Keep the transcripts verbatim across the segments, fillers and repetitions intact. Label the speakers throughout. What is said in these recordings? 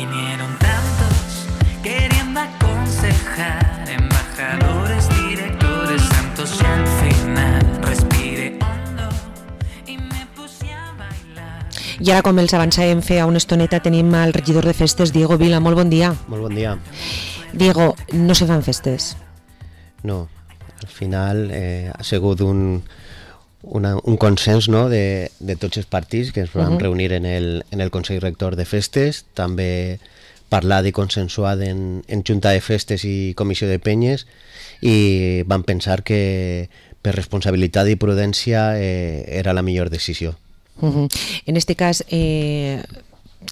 Speaker 1: Vinieron tantos queriendo aconsejar, embajadores, directores, santos y al final respiré hondo y me puse a bailar.
Speaker 2: I ara, com els avançàvem fer a una estoneta, tenim el regidor de festes, Diego Vila. Molt bon dia.
Speaker 3: Molt bon dia.
Speaker 2: Diego, no se fan festes?
Speaker 3: No, al final eh, ha sigut un, una, un consens, no?, de, de tots els partits que ens vam uh -huh. reunir en el, en el Consell Rector de Festes, també parlat i consensuat en, en Junta de Festes i Comissió de Penyes, i vam pensar que per responsabilitat i prudència eh, era la millor decisió.
Speaker 2: Uh -huh. En este cas, eh,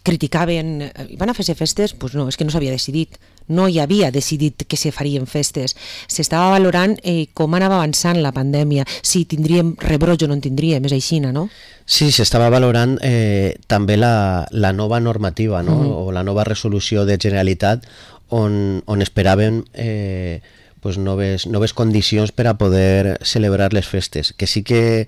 Speaker 2: criticaven, van a fer-se festes? Pues no, és que no s'havia decidit. No hi havia decidit que se farien festes. S'estava valorant eh, com anava avançant la pandèmia, si tindríem rebroig o no en tindríem, és aixina, no?
Speaker 3: Sí, s'estava valorant eh, també la, la nova normativa, no? Uh-huh. O la nova resolució de Generalitat on, on esperàvem eh, pues noves, noves condicions per a poder celebrar les festes. Que sí que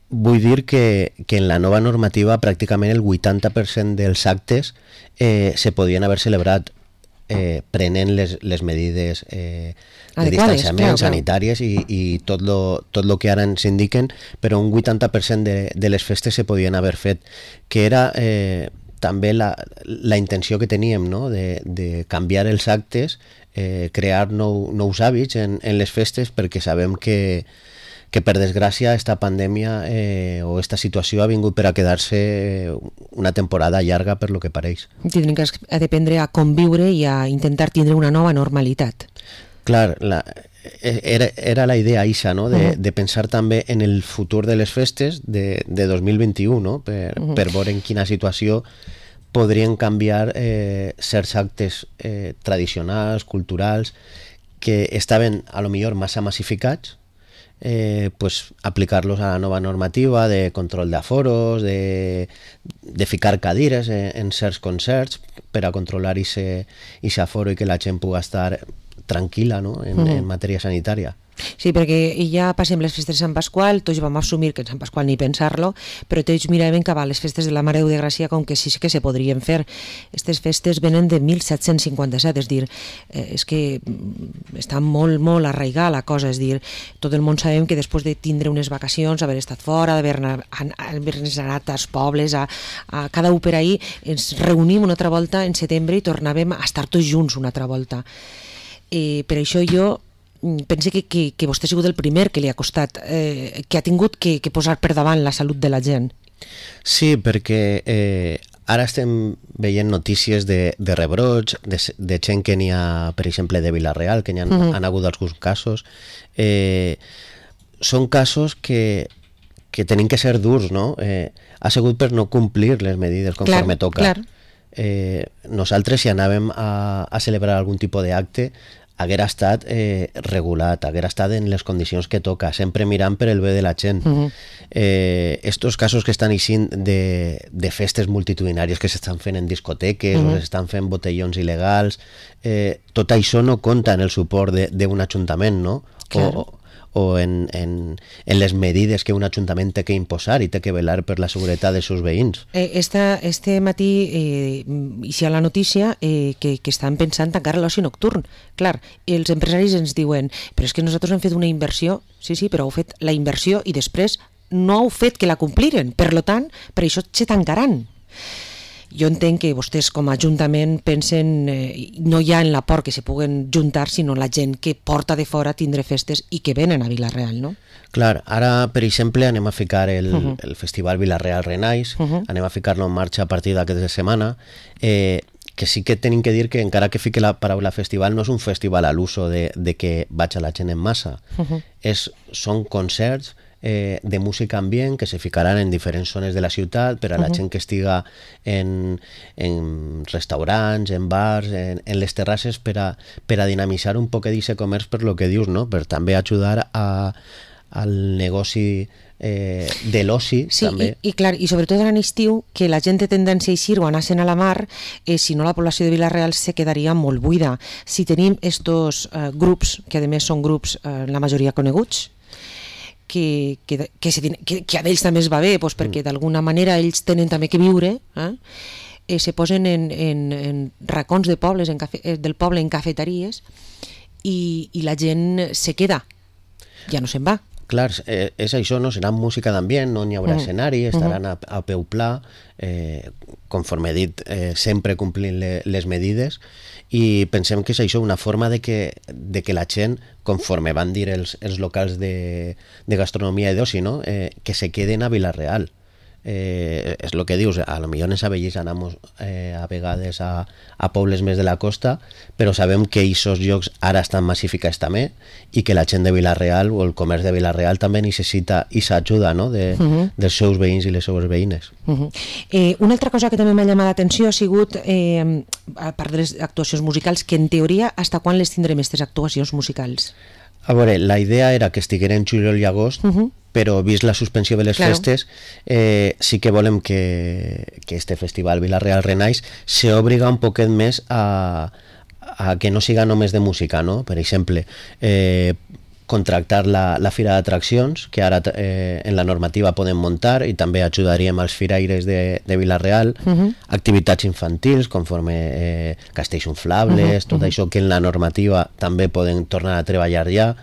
Speaker 3: vull dir que, que en la nova normativa pràcticament el vuitanta per cent dels actes eh, se podien haver celebrat eh, prenent les, les medides eh, de
Speaker 2: adequades,
Speaker 3: distanciament,
Speaker 2: clar,
Speaker 3: sanitàries i, i tot lo, tot lo que ara ens indiquen, però un vuitanta per cent de, de les festes se podien haver fet, que era eh, també la, la intenció que teníem, no?, de, de canviar els actes, eh, crear nou, nous hàbits en, en les festes, perquè sabem que que per desgràcia esta pandèmia eh, o esta situació ha vingut per a quedar-se una temporada llarga per lo que pareix.
Speaker 2: Tindrem que aprendre a conviure i a intentar tindre una nova normalitat.
Speaker 3: Clar, la, era, era la idea ixa, no?, de, uh-huh. de pensar també en el futur de les festes de, de dos mil vint-i-u, no?, per, uh-huh. per veure en quina situació podrien canviar eh, certs actes eh, tradicionals, culturals, que estaven a lo millor massa massificats, Eh, pues aplicar-los a la nova normativa de control d'aforos, de, de ficar cadires en, en certs concerts per a controlar aquest aforo i que la gent pugui estar tranquil·la, no?, en, mm. en matèria sanitària.
Speaker 2: Sí, perquè ja passem les festes de Sant Pasqual, tots vam assumir que en Sant Pasqual ni pensar-lo, però tots miraven cap a les festes de la Mare de Déu de Gràcia com que sí que se podrien fer. Aquestes festes venen de disset cinquanta-set, és dir, eh, és que està molt, molt arraigada la cosa, és dir, tot el món sabem que després de tindre unes vacacions, haver estat fora, d'haver-nos anat als pobles, a, a cada u per ahir, ens reunim una altra volta en setembre i tornàvem a estar tots junts una altra volta. Eh, per això jo pense que, que, que vostè ha sigut el primer que li ha costat, eh, que ha tingut que, que posar per davant la salut de la gent.
Speaker 3: Sí, perquè eh, ara estem veient notícies de, de rebrots, de, de gent que n'hi ha, per exemple, de Vila-real, que n'hi ha, uh-huh. han hagut alguns casos. Eh, són casos que, que tenen que ser durs, no? Eh, ha sigut per no complir les medides conforme
Speaker 2: clar,
Speaker 3: toca.
Speaker 2: Clar.
Speaker 3: Eh, nosaltres, si anàvem a, a celebrar algun tipus d'acte, haguera estat eh, regulat, haguera estat en les condicions que toca, sempre mirant per el bé de la gent. Uh-huh. eh, estos casos que estan eixint de, de festes multitudinàries que s'estan fent en discoteques uh-huh. o s'estan fent botellons il·legals, eh, tot això no compta en el suport d'un ajuntament, no? Claro. O, o en, en, en les medides que un ajuntament té que imposar i té que velar per la seguretat dels seus veïns.
Speaker 2: Eh, esta, este matí eh, hi ha la notícia eh, que, que estan pensant tancar l'oci nocturn. Clar, els empresaris ens diuen però és que nosaltres hem fet una inversió, sí, sí, però heu fet la inversió i després no heu fet que la compliren, per lo tant, per això se tancaran. Jo entenc que vostès com a ajuntament pensen eh, no ja en l'aport que se puguen juntar, sinó la gent que porta de fora a tindre festes i que venen a Vila-real, no?
Speaker 3: Clar, ara, per exemple, anem a ficar el, uh-huh. el Festival Vila-real Renais, uh-huh. anem a ficar-lo en marxa a partir d'aquesta setmana, eh, que sí que tenim que dir que encara que fique la paraula festival no és un festival a l'uso de, de que vaig a la gent en massa, uh-huh. és, són concerts Eh, de música ambient que se ficaran en diferents zones de la ciutat per a la uh-huh. gent que estiga en, en restaurants, en bars, en, en les terrasses per a, per a dinamitzar un poc d'aquest comerç per lo que dius, no? Per també ajudar a, al negoci eh, de l'oci.
Speaker 2: Sí,
Speaker 3: també.
Speaker 2: I, i clar, i sobretot en l'estiu, que la gent té tendència a eixir o anar-se'n a la mar, eh, si no la població de Vila-real se quedaria molt buida. Si tenim estos eh, grups, que a més són grups eh, la majoria coneguts, que, que, que, se, que, que a ells també es va bé, doncs perquè d'alguna manera ells tenen també que viure, eh? eh, se posen en, en, en racons de pobles, en cafe, eh, del poble, en cafeteries, i, i la gent se queda, ja no se'n va.
Speaker 3: Clar, eh, és això, no? Serà música d'ambient, no n'hi haurà mm. escenari, estaran a, a peu pla, eh, conforme he dit, eh, sempre complint le, les medides, i pensem que és això, una forma de que, de que la gent, conforme van dir els, els locals de, de gastronomia i d'oci, no? eh, que se queden a Vila-real. Eh, és el que dius, a lo millor en Sabellís anamos eh, a vegades a, a pobles més de la costa, però sabem que aquests llocs ara estan massificats també i que la gent de Vila-real o el comerç de Vila-real també necessita aquesta ajuda, no? de, uh -huh. dels seus veïns i les seues veïnes.
Speaker 2: Uh -huh. eh, una altra cosa que també m'ha llamat l'atenció ha sigut, eh, a part de les actuacions musicals, que en teoria, hasta quan les tindrem aquestes actuacions musicals?
Speaker 3: A veure, la idea era que estigueren juliol i agost, uh -huh. però vist la suspensió de les claro. festes, eh, sí que volem que, que este festival Vila-real Renaix se obliga un poquet més a, a que no siga només de música, no? Per exemple, eh, contractar la, la fira d'atraccions, que ara eh, en la normativa podem muntar, i també ajudaríem als firaires de, de Vila-real, uh -huh. activitats infantils, conforme eh, castells inflables, uh -huh. tot uh -huh. això que en la normativa també poden tornar a treballar ja,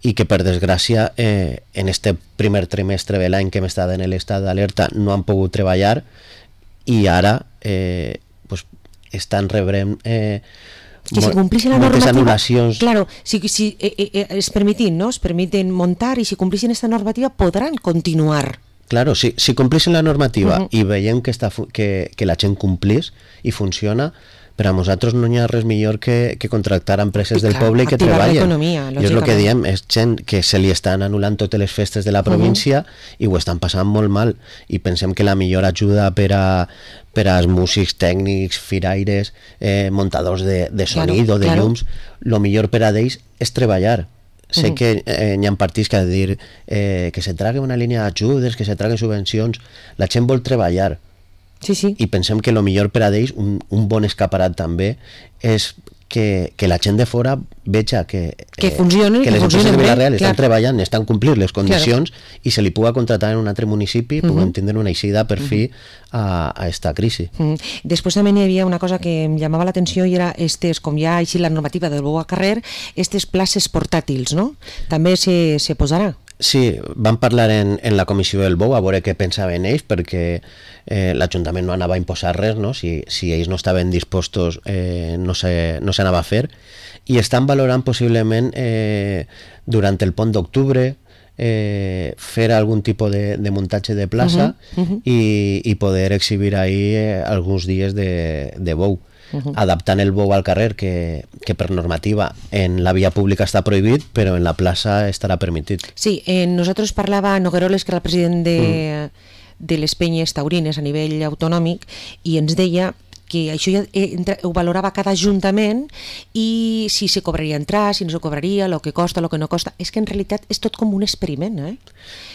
Speaker 3: i que per desgràcia eh, en este primer trimestre de l'any que hem estat en l'estat d'alerta no han pogut treballar, i ara eh, pues, estan rebrem eh,
Speaker 2: que si complixen la
Speaker 3: moltes
Speaker 2: normativa,
Speaker 3: anul·lacions.
Speaker 2: Claro, si, si eh, eh, es permitin, ¿no? Es permiten montar, i si complixen esta normativa podran continuar.
Speaker 3: Claro, si, si complixen la normativa
Speaker 2: uh -huh.
Speaker 3: i veiem que, està, que, que la gent complís i funciona, per a nosaltres no hi ha res millor que, que contractar empreses I del clar, poble i que treballen. I és el que diem, és gent que se li estan anul·lant totes les festes de la província uh -huh. i ho estan passant molt mal, i pensem que la millor ajuda per a per als músics, tècnics, firaires, eh, muntadors de, de sonido, claro, de claro. llums, el millor per a ells és treballar. Sé uh -huh. que eh, hi ha partits que han de dir eh, que se tragui una línia d'ajudes, que se traguen subvencions. La gent vol treballar.
Speaker 2: Sí, sí.
Speaker 3: I pensem que el millor per a ells, un, un bon escaparat també, és que, que la gent de fora veja que,
Speaker 2: que, funcioni,
Speaker 3: eh, que les empreses de Vila-real estan
Speaker 2: clar.
Speaker 3: treballant, estan complint les condicions, claro. i se li puga contratar en un altre municipi, uh -huh. puguem tindre una eixida per uh -huh. fi a, a esta crisi.
Speaker 2: Uh -huh. Després també hi havia una cosa que em llamava l'atenció, i era estes, com ja ha així la normativa del bou a carrer, estes places portàtils, no? També se, se posarà.
Speaker 3: Sí, vam parlar en, en la comissió del Bou a veure què pensaven ells, perquè eh, l'Ajuntament no anava a imposar res, no? Si, si ells no estaven dispostos eh, no s'anava a fer, i estan valorant possiblement eh, durant el pont d'octubre eh, fer algun tipus de, de muntatge de plaça uh -huh, uh -huh. i, i poder exhibir ahí eh, alguns dies de, de bou. Uh -huh. Adaptant el bou al carrer, que, que per normativa en la via pública està prohibit, però en la plaça estarà permitit.
Speaker 2: Sí, eh, nosaltres parlava Nogueroles, que era el president de, mm. de les penyes taurines a nivell autonòmic, i ens deia que això ja ho valorava cada ajuntament, i si se cobraria entrar, si no se cobraria, el que costa, el que no costa. És que en realitat és tot com un experiment, eh?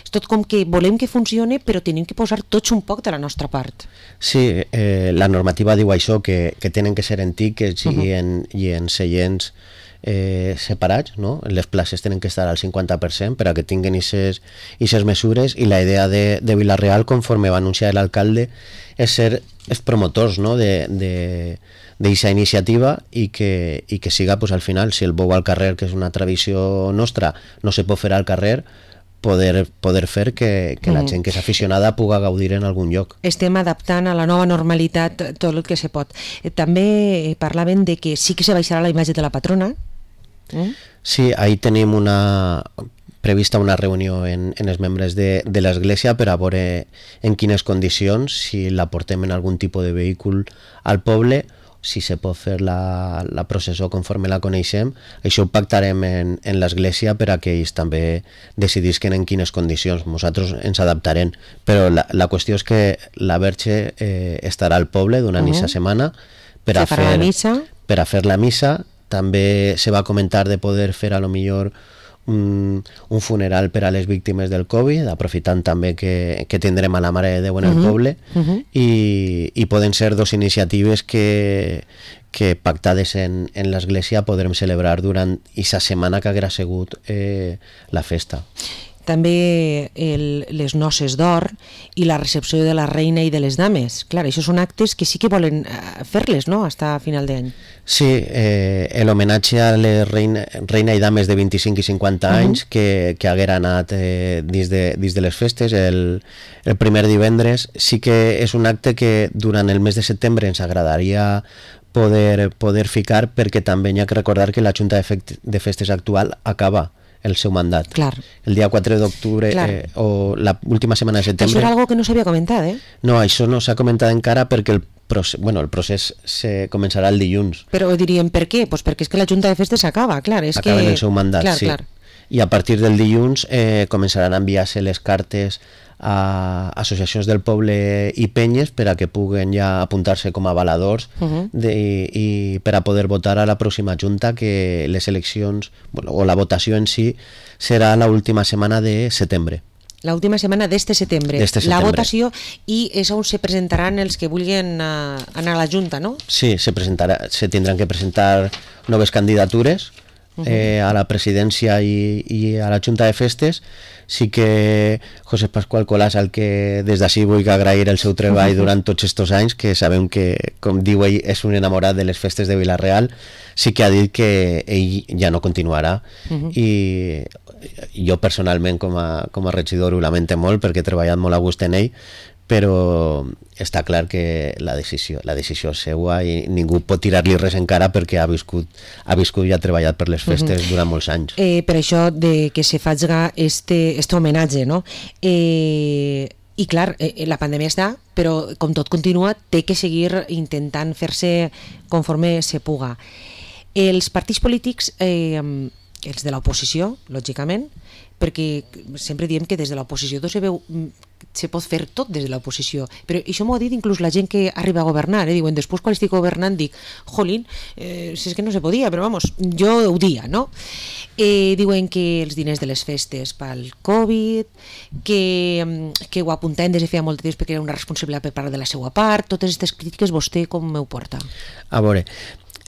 Speaker 2: És tot com que volem que funcioni, però tenim que posar tots un poc de la nostra part.
Speaker 3: Sí, eh, la normativa diu això, que, que tenen que ser en tickets uh -huh. i, en, i en seients eh, separats, no? Les places tenen que estar al cinquanta per cent per a que tinguin aquestes mesures, i la idea de, de Vila-real, conforme va anunciar l'alcalde, és ser els promotors, no? de, de, d'aquesta iniciativa, i que, i que siga pues, al final, si el bou al carrer, que és una tradició nostra, no se pot fer al carrer, poder, poder fer que, que la gent que és aficionada puga gaudir en algun lloc.
Speaker 2: Estem adaptant a la nova normalitat tot el que se pot. També parlaven de que sí que se baixarà la imatge de la patrona. Mm?
Speaker 3: Sí, ahí tenim una prevista una reunió en, en els membres de, de l'Església per a veure en quines condicions, si la portem en algun tipus de vehicle al poble, si se pot fer la, la processó conforme la coneixem. Això ho pactarem en, en l'Església per a que ells també decidisquen en quines condicions. Nosaltres ens adaptarem, però la, la qüestió és que la Verge eh, estarà al poble durant aquesta uh -huh. setmana per a, fer,
Speaker 2: la missa.
Speaker 3: per a fer la missa. També se va comentar de poder fer a lo millor un, un funeral per a les víctimes del Covid, aprofitant també que, que tindrem a la Mare de Déu en el uh -huh. poble, uh -huh. i, i poden ser dos iniciatives que, que pactades en, en l'Església podrem celebrar durant aquesta setmana que haurà sigut eh, la festa.
Speaker 2: també el, les noces d'or i la recepció de la reina i de les dames. Clar, això són actes que sí que volen fer-les, no?, fins a final d'any.
Speaker 3: Sí, eh, l'homenatge a les reina, reina i dames de vint-i-cinc i cinquanta uh -huh. anys que, que haguera anat eh, dins, de, dins de les festes el, el primer divendres. Sí que és un acte que durant el mes de setembre ens agradaria poder, poder ficar, perquè també hi ha que recordar que la Junta de, Fe de Festes actual acaba el seu mandat.
Speaker 2: Clar.
Speaker 3: El dia quatre d'octubre eh, o la última setmana de setembre.
Speaker 2: Això era algo que no s'havia comentat, eh?
Speaker 3: No, això no s'ha comentat encara perquè el procés, bueno, el procés se començarà el dilluns.
Speaker 2: Però diríem per què? Pues perquè és que la Junta de Festes s'acaba, clar. És
Speaker 3: Acaben
Speaker 2: que...
Speaker 3: el seu mandat,
Speaker 2: clar,
Speaker 3: sí.
Speaker 2: Clar.
Speaker 3: I a partir del dilluns eh, començaran a enviar-se les cartes a associacions del poble i penyes per a que puguen ja apuntar-se com a avaladors uh -huh. de, i, i per a poder votar a la pròxima Junta, que les eleccions, bueno, o la votació en si serà l'última setmana de setembre.
Speaker 2: La última setmana d'este setembre.
Speaker 3: setembre.
Speaker 2: La votació, i és on se presentaran els que vulguin uh, anar a la Junta, no?
Speaker 3: Sí, se, presentarà, se tindran que presentar noves candidatures eh, a la presidència i, i a la Junta de Festes. Sí que José Pascual Colàs, al que des d'ací vull agrair el seu treball durant tots aquests anys, que sabem que, com diu ell, és un enamorat de les festes de Vila-real, sí que ha dit que ell ja no continuarà. Uh -huh. I jo personalment com a, com a regidor ho lamento molt, perquè he treballat molt a gust en ell, però està clar que la decisió, la decisió és seua i ningú pot tirar-li res encara, perquè ha viscut, ha viscut i ha treballat per les festes uh -huh. durant molts anys.
Speaker 2: Eh, per això de que se faci este, este homenatge, no? Eh, I clar, eh, la pandèmia està, però com tot continua, té que seguir intentant fer-se conforme se puga. Els partits polítics, eh, els de l'oposició, lògicament, perquè sempre diem que des de l'oposició se veu, se pot fer tot des de l'oposició, però això m'ho ha dit inclús la gent que arriba a governar, eh? Diuen, després quan estic governant dic, jolín, eh, si és que no se podia, però vamos, jo ho dia, no? Eh, diuen que els diners de les festes pel Covid, que, que ho apuntaven des de feia molt de temps perquè era una responsabilitat per part de la seva part, totes aquestes crítiques vostè com ho porta?
Speaker 3: A veure,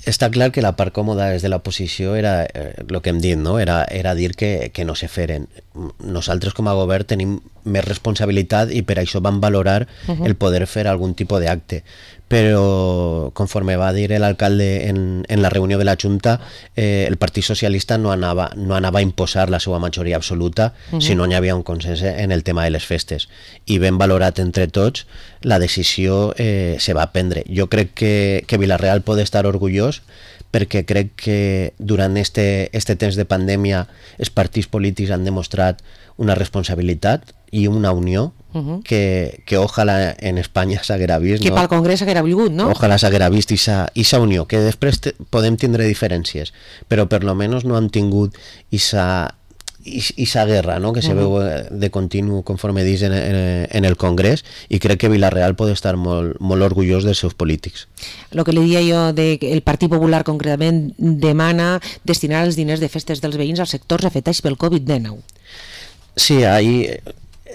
Speaker 3: està clar que la part còmoda des de l'oposició era eh, el que hem dit, no? Era, era dir que, que no se feren. Nosaltres com a govern tenim més responsabilitat i per això vam valorar uh -huh. el poder fer algun tipus d'acte. Però, conforme va dir l'alcalde en, en la reunió de la Junta, eh, el Partit Socialista no anava, no anava a imposar la seva majoria absoluta, uh -huh. si no hi havia un consens en el tema de les festes. I ben valorat entre tots, la decisió eh, se va prendre. Jo crec que, que Vila-real pot estar orgullós, perquè crec que durant este, este temps de pandèmia els partits polítics han demostrat una responsabilitat i una unió uh -huh. que, que ojalà en Espanya s'haguera vist.
Speaker 2: Que
Speaker 3: no?
Speaker 2: pel Congrés s'haguera volgut, no?
Speaker 3: Ojalà s'haguera vist aquesta unió, que després te, podem tindre diferències, però per lo menos no han tingut aquesta aquesta guerra, no? Que se uh -huh. veu de continu, conforme dius, en, en, en el Congrés, i crec que Vila-real pot estar molt, molt orgullós dels seus polítics.
Speaker 2: El que li dia jo, de que el Partit Popular concretament demana destinar els diners de festes dels veïns als sectors afectats pel Covid dinou.
Speaker 3: Sí, ahí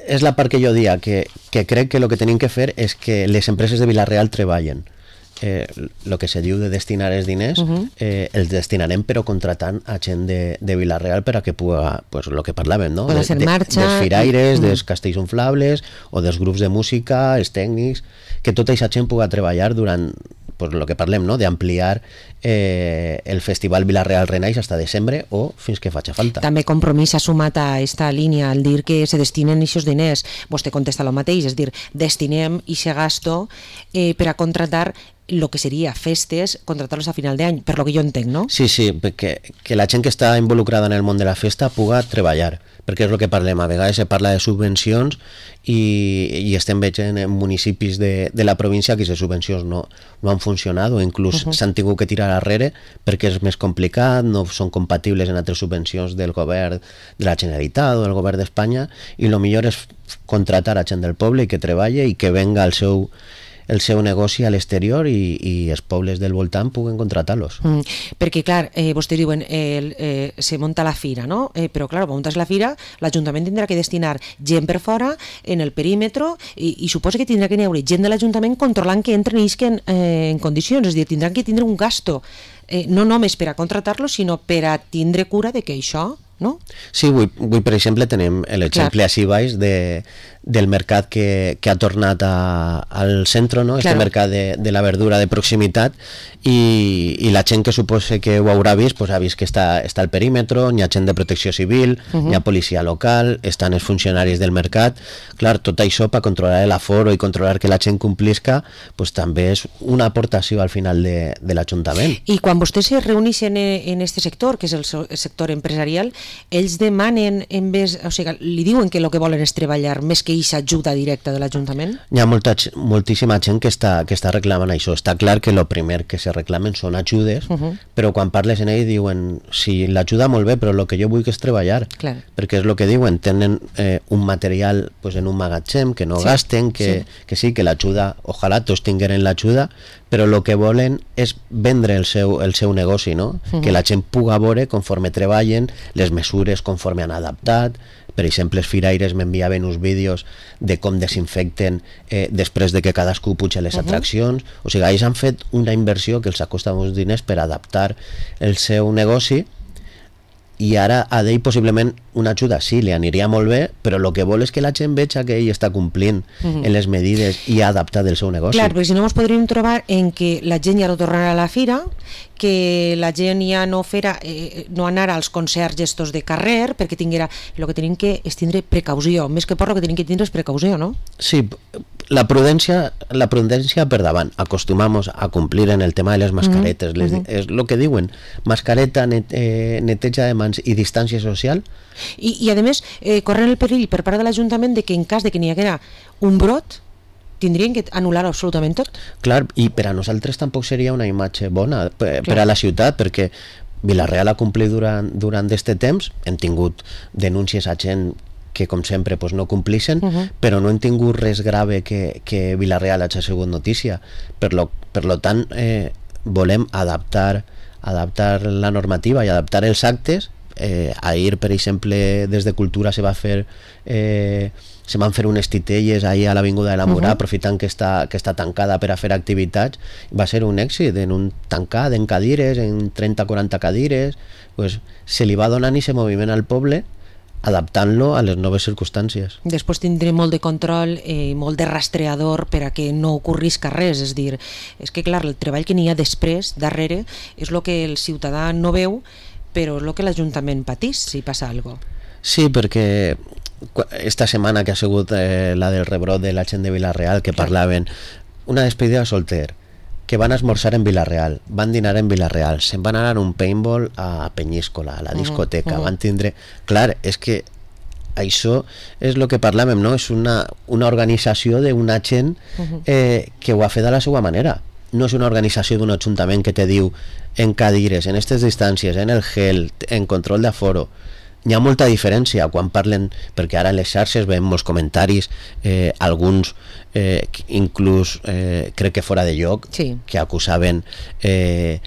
Speaker 3: és la part que jo dia, que, que crec que el que tenim que fer és que les empreses de Vila-real treballen. Eh, el que se diu de destinar els diners, uh -huh. eh, els destinarem però contratant a gent de, de Vila-real per a que puga, pues el que parlàvem, no?
Speaker 2: De, de,
Speaker 3: marxa, dels firaires, uh -huh. dels castells inflables o dels grups de música, els tècnics, que tota aquesta gent puga treballar durant, pues el que parlem, no? D'ampliar eh, el Festival Vila-real Renaix fins a desembre o fins que faci falta.
Speaker 2: També Compromís ha sumat a aquesta línia al dir que se destinen aquests diners. Vostè contesta el mateix, és dir, destinem aquest gasto eh, per a contratar el que seria festes, contratar-los a final d'any, per lo que jo entenc, no?
Speaker 3: Sí, sí, que, que la gent que està involucrada en el món de la festa puga treballar, perquè és el que parlem, a vegades se parla de subvencions i, i estem veient en municipis de, de la província que aquestes subvencions no, no han funcionat o inclús uh -huh. s'han tingut que tirar arrere perquè és més complicat, no són compatibles en altres subvencions del govern de la Generalitat o del govern d'Espanya, i el millor és contratar a gent del poble i que treballe i que venga al seu el seu negoci a l'exterior i, i els pobles del voltant puguen contratar-los.
Speaker 2: Mm, perquè, clar, eh, vostès diuen eh, eh, se munta la fira, no? Eh, però, clar, muntes la fira, l'Ajuntament tindrà que destinar gent per fora, en el perímetre, i, i suposa que tindrà que n'hi haver gent de l'Ajuntament controlant que entren i isquen eh, en condicions, és a dir, tindran que tindre un gasto, eh, no només per a contratar-los, sinó per a tindre cura de que això no?
Speaker 3: Sí, avui, avui per exemple tenim l'exemple així baix de, del mercat que, que ha tornat a, al centre, no? Este
Speaker 2: Claro.
Speaker 3: mercat de, de la verdura de proximitat, i, i la gent que suposa que ho haurà vist, pues, ha vist que està, està al perímetre, hi ha gent de protecció civil, uh-huh. hi ha policia local, estan els funcionaris del mercat. Clar, tot això per controlar l'aforo i controlar que la gent complisca, pues, també és una aportació al final de, de l'Ajuntament.
Speaker 2: I quan vostès se reuneixen en este sector, que és el so- el sector empresarial, ells demanen, en vez, o sigui, li diuen que el que volen és treballar més que aquesta ajuda directa de l'Ajuntament?
Speaker 3: Hi ha molta, moltíssima gent que està, que està reclamant això. Està clar que el primer que se reclamen són ajudes, uh-huh. però quan parles en ell diuen, sí, l'ajuda molt bé, però el que jo vull que és treballar.
Speaker 2: Clar.
Speaker 3: Perquè és el que diuen, tenen eh, un material pues, en un magatzem que no
Speaker 2: sí.
Speaker 3: gasten, que sí. que sí, que l'ajuda, ojalà tots tingueren l'ajuda, però el que volen és vendre el seu, el seu negoci, no? Uh-huh. Que la gent puga veure conforme treballen, les mesures conforme han adaptat. Per exemple, els firaires m'enviaven uns vídeos de com desinfecten eh, després de que cadascú puja les uh-huh. atraccions. O sigui, ells han fet una inversió que els ha costat uns diners per adaptar el seu negoci, i ara a d'ell possiblement una ajuda sí, li aniria molt bé, però el que vol és que la gent veja que ell està complint uh-huh. en les medides i ha adaptat el seu negoci.
Speaker 2: Clar, perquè si no ens podríem trobar en que la gent ja no tornarà a la fira, que la gent ja no farà, eh, no anarà als concerts estos de carrer, perquè tinguera, el que tenim que és tindre precaució, més que por el que tenim que tindre és precaució, no?
Speaker 3: Sí, la prudència, la prudència per davant. Acostumamos a complir en el tema de les mascaretes. Uh-huh. Les, uh-huh. És el que diuen, mascareta, net, eh, neteja de mans i distància social.
Speaker 2: I, i a més, eh, corren el perill per part de l'Ajuntament de que en cas de que n'hi haguera un brot, tindrien que anul·lar absolutament tot.
Speaker 3: Clar, i per a nosaltres tampoc seria una imatge bona per, per a la ciutat, perquè Vila-real ha complit durant, durant este temps, hem tingut denúncies a gent que com sempre pues, no complixen, uh-huh. però no hem tingut res grave que, que Vila-real hagi sigut notícia. Per lo, per lo tant, eh, volem adaptar, adaptar la normativa i adaptar els actes. Eh, ahir, per exemple, des de Cultura se va fer eh, se van fer unes titelles ahir a l'Avinguda de la Murà, uh-huh. aprofitant que està, que està tancada per a fer activitats. Va ser un èxit, en un tancat, en cadires, en trenta a quaranta cadires, pues, se li va donant i se moviment al poble, adaptant-lo a les noves circumstàncies.
Speaker 2: Després tindré molt de control i eh, molt de rastreador per a que no ocorrisca res, és dir, és que clar, el treball que n'hi ha després, darrere, és el que el ciutadà no veu, però és el que l'Ajuntament patís si passa alguna cosa.
Speaker 3: Sí, perquè esta setmana que ha sigut eh, la del rebrot de la gent de Vila-real, que parlaven una despedida de solter, que van esmorzar en Vila-real, van dinar en Vila-real, se'n van anar a un paintball a Penyíscola, a la discoteca, uh-huh, uh-huh. van tindre... Clar, és que això és el que parlàvem, no? És una, una organització d'una gent eh, que ho ha fet de la seva manera. No és una organització d'un ajuntament que te diu en cadires, en aquestes distàncies, en el gel, en control d'aforo. Hi ha molta diferència quan parlen, perquè ara en les xarxes veiem molts comentaris, eh, alguns eh, inclús eh, crec que fora de lloc,
Speaker 2: sí.
Speaker 3: que acusaven eh,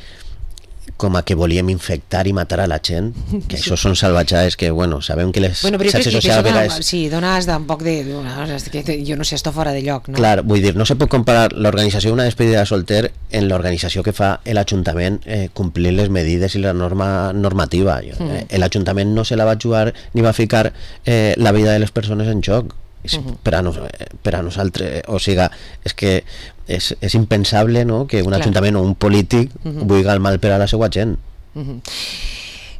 Speaker 3: com a que volíem infectar i matar a la gent, que sí. Això són salvatjades que, bueno, sabem que les
Speaker 2: bueno,
Speaker 3: xarxes socials...
Speaker 2: Dona,
Speaker 3: és...
Speaker 2: sí, dones d'un poc de... Dones, que jo no sé, esto fora de lloc, no?
Speaker 3: Clar, vull dir, no se pot comparar l'organització d'una despedida de solter en l'organització que fa l'Ajuntament eh, complir les medides i la norma normativa. Mm. Eh, L'Ajuntament no se la va jugar ni va ficar eh, la vida de les persones en joc. Uh-huh. per, a nos, per a nosaltres, o sigui, és que és, és impensable, no?, que un Clar. Ajuntament o un polític uh-huh. vulgui el mal per a la seva gent.
Speaker 2: Uh-huh.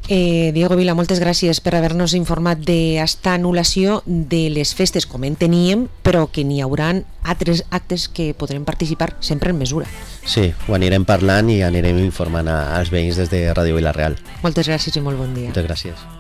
Speaker 2: eh, Diego Vila, moltes gràcies per haver-nos informat d'esta anul·lació de les festes com en teníem, però que n'hi hauran altres actes que podrem participar sempre en mesura.
Speaker 3: Sí, ho anirem parlant i anirem informant als veïns des de Ràdio Vila-real.
Speaker 2: Moltes gràcies i molt bon dia.
Speaker 3: Moltes gràcies.